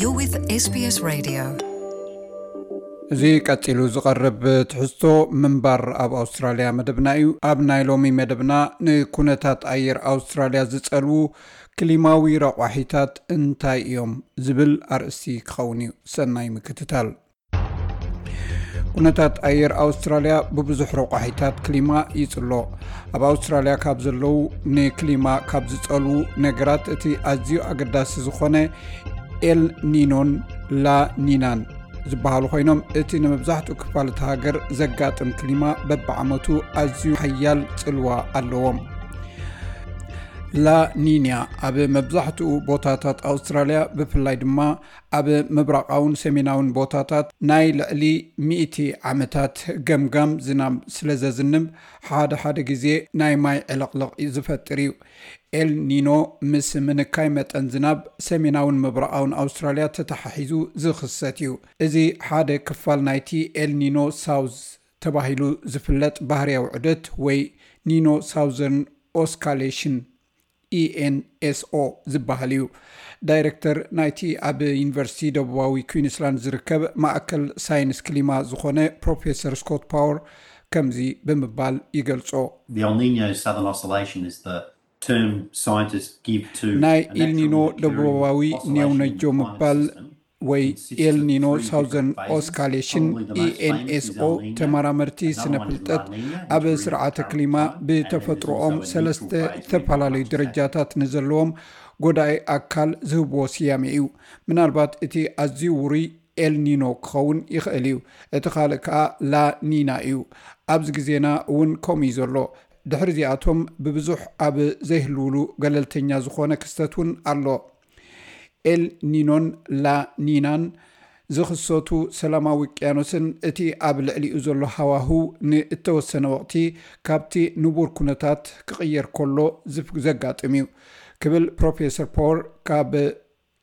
You're with SBS Radio. እዚ ቀጺሉ ዝቐርብ ትሕዝቶ ምንባር ኣብ ኣውስትራልያ መደብና እዩ። ኣብ ናይ ሎሚ መደብና ንኩነታት ኣየር ኣውስትራልያ ዝጸልዉ ክሊማዊ ረቋሒታት እንታይ እዮም ዝብል ኣርእስቲ ክኸውን እዩ። ሰናይ ምክትታል። ኩነታት ኣየር ኣውስትራልያ ብብዙሕ ረቋሒታት ክሊማ ይጽሎ። ኣብ ኣውስትራልያ ካብ ዘለዉ ንክሊማ ካብ ዝጸልዉ ነገራት እቲ ኣዝዩ ኣገዳሲ ዝኾነ ኤል ኒኖን ላ ኒናን ዝበሃሉ ኮይኖም፣ እቲ ንመብዛሕትኡ ክፋል እቲ ሃገር ዘጋጥም ክሊማ በብዓመቱ ኣዝዩ ሓያል ጽልዋ ኣለዎም። ላ ኒኛ ኣብ መብዛሕትኡ ቦታታት ኣውስትራልያ፣ ብፍላይ ድማ ኣብ ምብራቓውን ሰሜናውን ቦታታት ናይ ልዕሊ ሚእቲ ዓመታት ገምጋም ዝናብ ስለ ዘዝንብ፣ ሓደ ሓደ ግዜ ናይ ማይ ዕልቕልቕ ዝፈጥር እዩ። ኤል ኒኖ ምስ ምንካይ መጠን ዝናብ ሰሜናውን ምብራቓውን ኣውስትራልያ ተተሓሒዙ ዝኽሰት እዩ። እዚ ሓደ ክፋል ናይቲ ኤል ኒኖ ሳውዝ ተባሂሉ ዝፍለጥ ባህርያዊ ዑደት ወይ ኒኖ ሳውዘርን ኦስካሌሽን፣ ኢኤንኤስኦ ዝበሃል እዩ። ዳይሬክተር ናይቲ ኣብ ዩኒቨርሲቲ ደቡባዊ ኩዊንስላንድ ዝርከብ ማእከል ሳይንስ ክሊማ ዝኾነ ፕሮፌሰር ስኮት ፓወር ከምዚ ብምባል ይገልጾ። The El Nino Southern Oscillation is the term scientists give to ናይ a natural ኢልኒኖ occurring ደቡባዊ oscillation in ኔውነጆ the climate ምባል system. ወይ ኤልኒኖ ሳውዘርን ኦስካሌሽን፣ ኢኤንኤስኦ፣ ተመራመርቲ ስነ ፍልጠት ኣብ ስርዓተ ክሊማ ብተፈጥሮኦም ሰለስተ ዝተፈላለዩ ደረጃታት ንዘለዎም ጎዳኢ ኣካል ዝህብዎ ስያሜ እዩ። ምናልባት እቲ ኣዝዩ ውሩይ ኤልኒኖ ክኸውን ይኽእል እዩ። እቲ ካልእ ከኣ ላኒና እዩ። ኣብዚ ግዜና እውን ከምኡ እዩ ዘሎ። ድሕሪ እዚኣቶም ብብዙሕ ኣብ ዘይህልውሉ ገለልተኛ ዝኾነ ክስተት እውን ኣሎ። ኤል ኒኖን ላ ኒናን ዝኽሰቱ ሰላማዊ ውቅያኖስን እቲ ኣብ ልዕሊኡ ዘሎ ሃዋህው ንእተወሰነ ወቕቲ ካብቲ ንቡር ኩነታት ክቕየር ከሎ ዝፍ- ዘጋጥም እዩ ክብል ፕሮፌሰር ፖር ካብ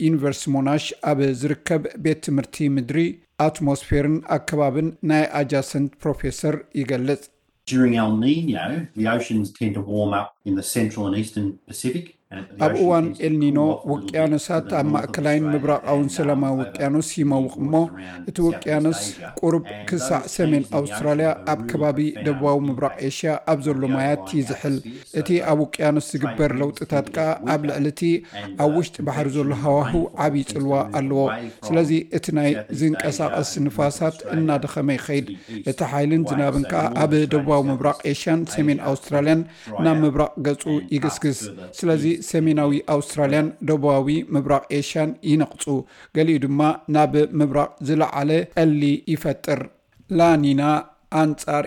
ዩኒቨርሲቲ ሞናሽ ኣብ ዝርከብ ቤት ትምህርቲ ምድሪ፣ ኣትሞስፌርን ኣከባብን ናይ ኣጃሰንት ፕሮፌሰር ይገልጽ። During El Nino, the oceans tend to warm up in the central and eastern Pacific. ኣብ እዋን ኤልኒኖ ውቅያኖሳት ኣብ ማእከላይን ምብራቓውን ሰላማዊ ውቅያኖስ ይመውቕ እሞ፣ እቲ ውቅያኖስ ቁሩብ ክሳዕ ሰሜን ኣውስትራልያ ኣብ ከባቢ ደቡባዊ ምብራቕ ኤሽያ ኣብ ዘሎ ማያት ይዝሕል። እቲ ኣብ ውቅያኖስ ዝግበር ለውጥታት ከኣ ኣብ ልዕሊ እቲ ኣብ ውሽጢ ባሕሪ ዘሎ ሃዋህው ዓብዪ ጽልዋ ኣለዎ። ስለዚ እቲ ናይ ዝንቀሳቐስ ንፋሳት እናደኸመ ይኸይድ። እቲ ሓይልን ዝናብን ከኣ ኣብ ደቡባዊ ምብራቕ ኤሽያን ሰሜን ኣውስትራልያን ናብ ምብራቕ ገጹ ይግስግስ። ስለዚ ሰሜናዊ ኣውስትራልያን ደቡባዊ ምብራቕ ኤሽያን ይነቕጹ። ገሊኡ ድማ ናብ ምብራቕ ዝለዓለ ጠሊ ይፈጥር። ላኒና ኣንጻር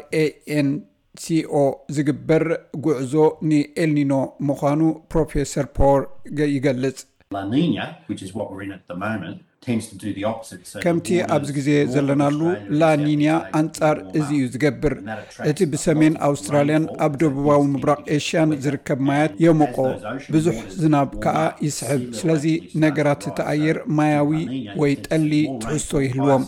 ኤኤንሲኦ ዝግበር ጉዕዞ ንኤልኒኖ ምዃኑ ፕሮፌሰር ፖር ገ- ይገልጽ። La Nina, which is what we're in at the moment, tends to do the opposite. So the ከምቲ waters ኣብዚ ግዜ north of ዘለናሉ Australia and ላኒንያ Southeast Asia ኣንጻር warm እዚ እዩ up. ዝገብር። And that attracts እቲ ብሰሜን ኣውስትራልያን ኣብ ደቡባዊ ምብራቕ ኤሽያን ዝርከብ ማያት የሞቆ፣ ብዙሕ ዝናብ ከኣ ይስሕብ። ስለዚ ነገራት እቲ ኣየር ማያዊ ወይ ጠሊ ትሕዝቶ ይህልዎም።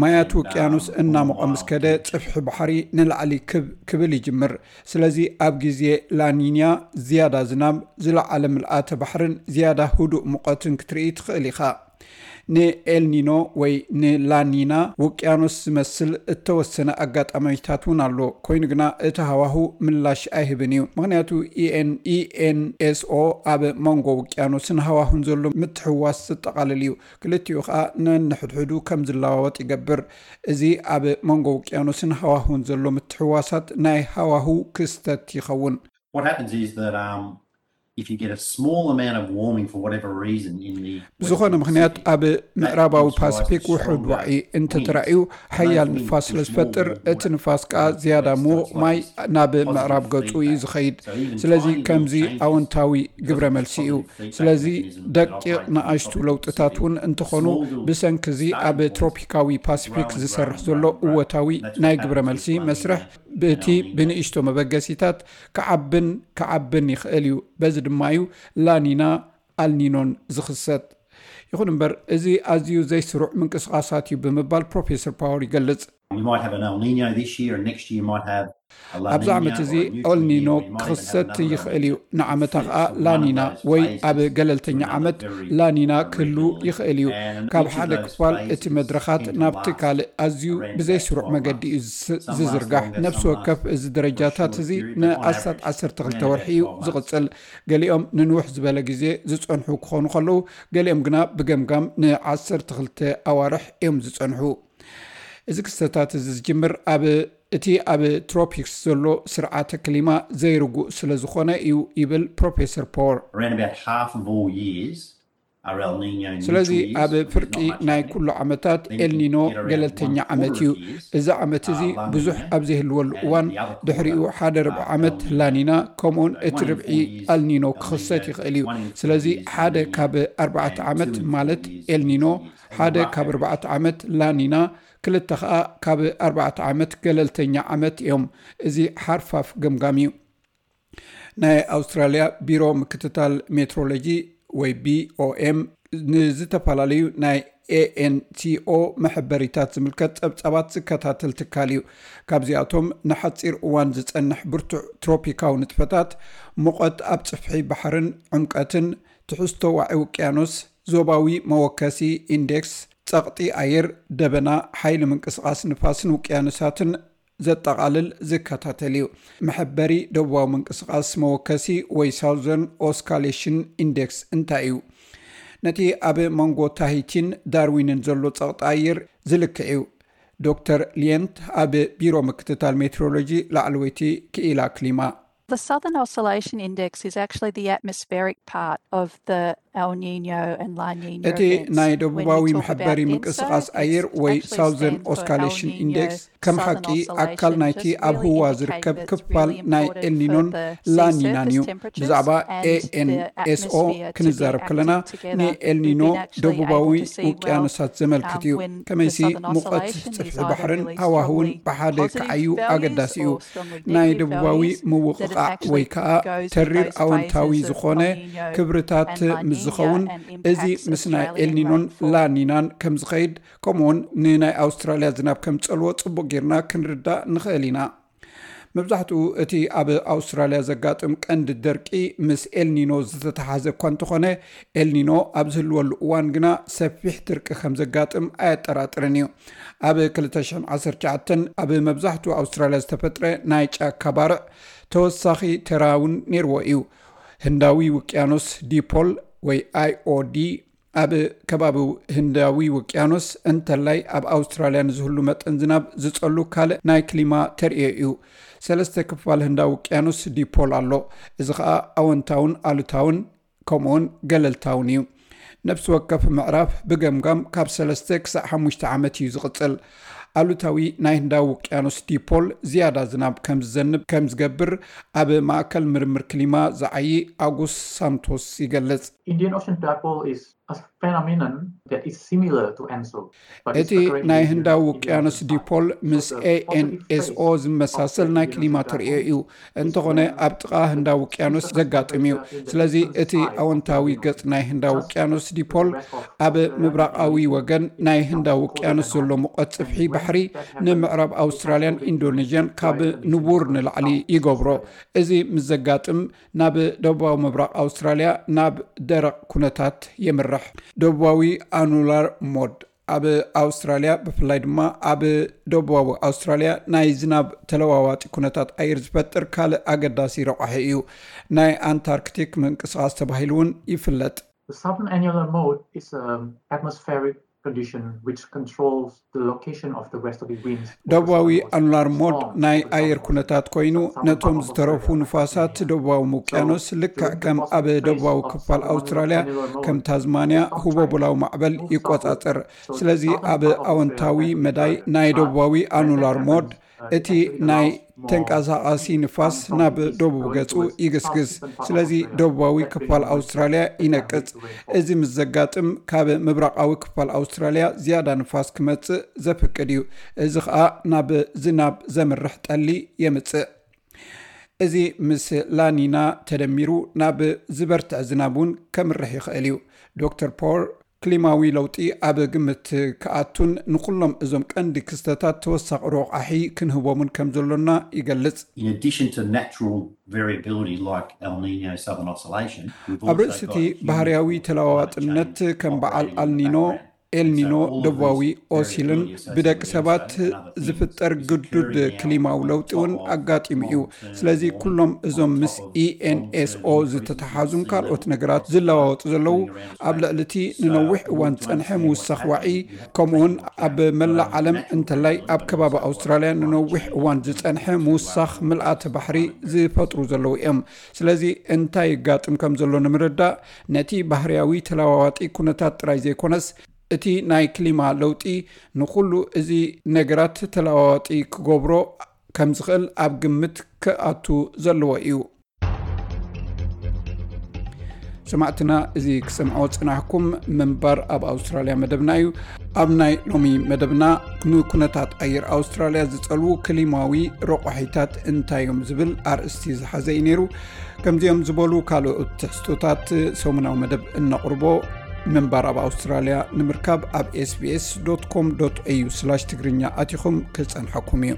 ማያት ውቅያኖስ እናሞቐ ምስ ከደ፣ ጽፍሒ ባሕሪ ንላዕሊ ክብ ክብል ይጅምር። ስለዚ ኣብ ግዜ ላኒንያ ዝያዳ ዝናብ፣ ዝለዓለ ምልኣተ ባሕርን ዝያዳ ህዱእ ሙቐትን ክትርኢ ትኽእል ኢኻ። ንኤልኒኖ ወይ ንላኒና ውቅያኖስ ዝመስል እተወሰነ ኣጋጣሚታት እውን ኣሎ። ኮይኑ ግና እቲ ሃዋሁ ምላሽ ኣይህብን እዩ። ምኽንያቱ ኢኤን- ኢኤንኤስኦ ኣብ መንጎ ውቅያኖስን ሃዋሁን ዘሎ ምትሕዋስ ዘጠቓልል እዩ። ክልቲኡ ኸኣ ነንሕድሕዱ ከም ዝለዋወጥ ይገብር። እዚ ኣብ መንጎ ውቅያኖስን ሃዋሁን ዘሎ ምትሕዋሳት ናይ ሃዋሁ ክስተት ይኸውን። What happens is that um, if you get a small amount of warming for whatever reason in the ብዝኾነ ምኽንያት ኣብ ምዕራባዊ ፓሲፊክ ውሑድ ዋዒ እንተተራእዩ፣ ሓያል ንፋስ ስለ ዝፈጥር፣ እቲ ንፋስ ከኣ ዝያዳ ምዉቕ ማይ ናብ ምዕራብ ገጹ እዩ ዝኸይድ። ስለዚ ከምዚ ኣወንታዊ ግብረ መልሲ እዩ። ስለዚ ደቂቕ ንኣሽቱ ለውጥታት እውን እንተኾኑ፣ ብሰንኪ እዚ ኣብ ትሮፒካዊ ፓሲፊክ ዝሰርሕ ዘሎ እወታዊ ናይ ግብረ መልሲ መስርሕ፣ ብእቲ ብንእሽቶ መበገሲታት ክዓብን ክዓብን ይኽእል እዩ። በዚ ድማ እዩ ላኒና ኣልኒኖን ዝኽሰት። ይኹን እምበር፣ እዚ ኣዝዩ ዘይስሩዕ ምንቅስቓሳት እዩ ብምባል ፕሮፌሰር ፓወር ይገልጽ። You might have an El Nino this year, and next year you might have a La ኣብዚ Nina ዓመት እዚ or a Neutral ኤልኒኖ Nino. You might even have ክኽሰት another ይኽእል እዩ። event ንዓመታ that's ከዓ just one of ላኒና those ወይ phases ኣብ for ገለልተኛ another ዓመት very ላኒና uh, ክህሉ regionally. ይኽእል እዩ። And ካብ each of ሓደ those ክፋል phases እቲ መድረኻት tend to ናብቲ last ካልእ ኣዝዩ around ብዘይ about ስሩዕ twelve መገዲ እዩ months. ዝ- Some last ዝዝርጋሕ። longer, ነፍሲ some ወከፍ last እዚ for ደረጃታት shorter እዚ period, but on ንኣስታት average, ዓሰርተ around ወርሒ about እዩ twelve months. ዝቕጽል። ገሊኦም ንንውሕ ዝበለ ግዜ ዝጸንሑ ክኾኑ ከለዉ፣ ገሊኦም ግና ብገምጋም ንዓሰርተ ክልተ ኣዋርሕ እዮም ዝጸንሑ። እዚ ክስተታት እዚ ዝጅምር ኣብ እቲ ኣብ ትሮፒክስ ዘሎ ስርዓተ ክሊማ ዘይርጉእ ስለ ዝኾነ እዩ፣ ይብል ፕሮፌሰር ፖር። Around about half of all years are El Nino neutral ስለዚ years, ኣብ there's not ፍርቂ much ናይ happening. ኩሉ ዓመታት Then you ኤልኒኖ get around ገለልተኛ one ዓመት quarter እዩ። of years, እዚ ዓመት እዚ uh, La ብዙሕ Nina, ኣብ ዘይህልወሉ and እዋን the other ድሕሪኡ quarter, ሓደ ርብዒ uh, ዓመት El Nino. ላኒና፣ ከምኡውን So እቲ one in ርብዒ four years, ኣልኒኖ El Nino, ክኽሰት ይኽእል እዩ። one in four ስለዚ years, ሓደ El Nino, ካብ ኣርባዕተ and ዓመት two in four ማለት years, ኤልኒኖ፣ two years, on a ሓደ rough ካብ average. ኣርባዕተ ዓመት ላኒና፣ ክልተ ከዓ ካብ ኣርባዕተ ዓመት ገለልተኛ ዓመት እዮም። እዚ ሓርፋፍ ገምጋም እዩ። ናይ ኣውስትራልያ ቢሮ ምክትታል ሜትሮሎጂ ወይ ቢኦኤም ንዝተፈላለዩ ናይ ኤኤንሲኦ መሐበሪታት ዝምልከት ጸብጻባት ዝከታተል ትካል እዩ። ካብዚኣቶም ንሓጺር እዋን ዝጸንሕ ብርቱዕ ትሮፒካዊ ንጥፈታት፣ ሙቐት ኣብ ጽፍሒ ባሕርን ዕምቀትን፣ ትሕዝቶ ዋዒ ውቅያኖስ፣ ዞባዊ መወከሲ ኢንዴክስ፣ ጸቕጢ ኣየር፣ ደበና፣ ሓይሊ ምንቅስቓስ ንፋስን ውቅያኖሳትን ዘጠቓልል ዝከታተል እዩ። መሐበሪ ደቡባዊ ምንቅስቓስ መወከሲ ወይ ሳውዘርን ኦስካሌሽን ኢንዴክስ እንታይ እዩ? ነቲ ኣብ መንጎ ታሂቲን ዳርዊንን ዘሎ ጸቕጢ ኣየር ዝልክዕ እዩ። ዶክተር ሊየንት ኣብ ቢሮ ምክትታል ሜትሮሎጂ ላዕለወይቲ ክኢላ ክሊማ። The Southern Oscillation Index is actually the atmospheric part of the El Nino and La Nina እቲ events. ናይ When we ደቡባዊ talk መሐበሪ about ምንቅስቓስ ENSO, ኣየር it's ወይ actually ሳውዘርን stand for El ኦስካሌሽን Niño ኢንዴክስ and ከም Southern ሓቂ Oscillation, ኣካል ናይቲ just ኣብ really ህዋ indicating ዝርከብ that it's ክፋል really ናይ important ኤልኒኖን for the sea ላኒናን surface እዩ። temperatures ብዛዕባ and the ኤኤንኤስኦ atmosphere to ክንዛረብ get ከለና active together ንኤልኒኖ in actually ደቡባዊ able to see well, ውቅያኖሳት ዘመልክት um, እዩ። when the ከመይሲ Southern ሙቐት Oscillation is ጽፍሒ either ባሕርን really ሃዋህውን strongly ብሓደ positive ክዓዩ values ኣገዳሲ እዩ። Or strongly ናይ negative ደቡባዊ values, that it ምውቕቓዕ actually ወይ ከዓ goes through ተሪር those ኣወንታዊ phases of ዝኾነ El Nino ክብርታት and La ምስ Nina ዝኸውን and እዚ impacts ምስ ናይ Australian ኤልኒኖን rainfall. ላኒናን ከም ዝኸይድ፣ ከምኡውን ንናይ ኣውስትራልያ ዝናብ ከም ጸልዎ ጽቡቕ ጌርና ክንርዳእ ንኽእል ኢና። መብዛሕትኡ እቲ ኣብ ኣውስትራልያ ዘጋጥም ቀንዲ ደርቂ ምስ ኤልኒኖ ዝተተሓዘ እኳ እንተኾነ፣ ኤልኒኖ ኣብ ዝህልወሉ እዋን ግና ሰፊሕ ድርቂ ከም ዘጋጥም ኣየጠራጥርን እዩ። ኣብ ክልተ ሽሕን ዓሰርተ ትሽዓተን ኣብ መብዛሕትኡ ኣውስትራልያ ዝተፈጥረ ናይ ጫካ ባርዕ ተወሳኺ ተራ እውን ነይርዎ እዩ። ህንዳዊ ውቅያኖስ ዲፖል ወይ ኣይኦዲ ኣብ ከባቢ ህንዳዊ ውቅያኖስ እንተላይ ኣብ ኣውስትራልያ ንዝህሉ መጠን ዝናብ ዝጸሉ ካልእ ናይ ክሊማ ተርእዮ እዩ። ሰለስተ ክፋል ህንዳዊ ውቅያኖስ ዲፖል ኣሎ። እዚ ኸኣ ኣወንታውን ኣሉታውን ከምኡውን ገለልታውን እዩ። ነፍሲ ወከፍ ምዕራፍ ብገምጋም ካብ ሰለስተ ክሳዕ ሓሙሽተ ዓመት እዩ ዝቕጽል። ኣሉታዊ ናይ ህንዳዊ ውቅያኖስ ዲፖል ዝያዳ ዝናብ ከም ዝዘንብ ከም ዝገብር ኣብ ማእከል ምርምር ክሊማ ዝዓዪ ኣጉስ ሳንቶስ ይገልጽ። Indian Ocean dipole is a phenomenon that is similar to ENSO. But it's እቲ occurring ናይ in ህንዳዊ Indian ውቅያኖስ Ocean ዲፖል side. ምስ So the positive phase ኤኤንኤስኦ ዝመሳሰል of the ናይ Indian ክሊማ Ocean ተርእዮ dipole እዩ። እንተኾነ ኣብ ጥቓ ህንዳዊ ውቅያኖስ ዘጋጥም እዩ። ስለዚ እቲ ኣወንታዊ ገጽ ናይ ህንዳዊ ውቅያኖስ ዲፖል ኣብ ምብራቓዊ ወገን ናይ ህንዳዊ ውቅያኖስ ዘሎ ሙቐት ጽፍሒ ባሕሪ ንምዕራብ ኣውስትራልያን ኢንዶኔዥያን ካብ ንቡር ንላዕሊ ይገብሮ። እዚ ምስ ዘጋጥም ናብ ደቡባዊ ምብራቕ ኣውስትራልያ ናብ ደረቕ ኩነታት የምርሕ። ደቡባዊ ኣኑላር ሞድ ኣብ ኣውስትራልያ ብፍላይ ድማ ኣብ ደቡባዊ ኣውስትራልያ ናይ ዝናብ ተለዋዋጢ ኩነታት ኣየር ዝፈጥር ካልእ ኣገዳሲ ረቋሒ እዩ። ናይ ኣንታርክቲክ ምንቅስቓስ ተባሂሉ እውን ይፍለጥ። The southern annular mode is an atmospheric condition which controls the location of the westerly winds. ደቡባዊ ኣኑላር ሞድ ናይ ኣየር ኩነታት ኮይኑ ነቶም ዝተረፉ ንፋሳት ደቡባዊ ውቅያኖስ ልክዕ ከም ኣብ ደቡባዊ ክፋል ኣውስትራልያ ከም ታዝማንያ ህቦቡላዊ ማዕበል ይቆጻጸር። ስለዚ ኣብ ኣወንታዊ መዳይ ናይ ደቡባዊ ኣኑላር ሞድ እቲ ናይ ተንቀሳቓሲ ንፋስ ናብ ደቡብ ገጹ ይግስግስ። ስለዚ ደቡባዊ ክፋል ኣውስትራልያ ይነቅጽ። እዚ ምስ ዘጋጥም ካብ ምብራቓዊ ክፋል ኣውስትራልያ ዝያዳ ንፋስ ክመጽእ ዘፍቅድ እዩ። እዚ ኸኣ ናብ ዝናብ ዘምርሕ ጠሊ የምጽእ። እዚ ምስ ላኒና ተደሚሩ ናብ ዝበርትዕ ዝናብ እውን ከምርሕ ይኽእል እዩ። ዶክተር ፖር ክሊማዊ ለውጢ ኣብ ግምት ክኣቱን ንኩሎም እዞም ቀንዲ ክስተታት ተወሳኺ ረቋሒ ክንህቦምን ከም ዘሎና ይገልጽ። In addition to natural variability like El Nino Southern Oscillation, ኣብ ርእሲ እቲ ባህርያዊ ተለዋዋጥነት ከም በዓል ኣልኒኖ፣ ኤልኒኖ፣ ደቡባዊ ኦሲልን ብደቂ ሰባት ዝፍጠር ግዱድ ክሊማዊ ለውጢ እውን ኣጋጢሙ እዩ። ስለዚ ኩሎም እዞም ምስ ኢኤንኤስኦ ዝተተሓዙን ካልኦት ነገራት ዝለዋወጡ ዘለዉ ኣብ ልዕሊ እቲ ንነዊሕ እዋን ዝጸንሐ ምውሳኽ ዋዒ፣ ከምኡውን ኣብ መላእ ዓለም እንተላይ ኣብ ከባቢ ኣውስትራልያ ንነዊሕ እዋን ዝጸንሐ ምውሳኽ ምልኣተ ባሕሪ ዝፈጥሩ ዘለዉ እዮም። ስለዚ እንታይ ይጋጥም ከም ዘሎ ንምርዳእ ነቲ ባህርያዊ ተለዋዋጢ ኩነታት ጥራይ ዘይኮነስ እቲ ናይ ክሊማ ለውጢ ንኹሉ እዚ ነገራት ተለዋዋጢ ክገብሮ ከም ዝኽእል ኣብ ግምት ክኣቱ ዘለዎ እዩ። ሰማዕትና፣ እዚ ክሰምዖ ጽናሕኩም ምንባር ኣብ ኣውስትራልያ መደብና እዩ። ኣብ ናይ ሎሚ መደብና ንኩነታት ኣየር ኣውስትራልያ ዝጸልዉ ክሊማዊ ረቋሒታት እንታይ እዮም ዝብል ኣርእስቲ ዝሓዘ እዩ ነይሩ። ከምዚኦም ዝበሉ ካልኦት ትሕዝቶታት ሰሙናዊ መደብ እነቕርቦ ምንባር ኣብ ኣውስትራልያ ንምርካብ ኣብ ኤስቢኤስ ዶት ኮም ዶት ኤዩ ስላሽ ትግርኛ ኣቲኹም ክጸንሐኩም እዩ።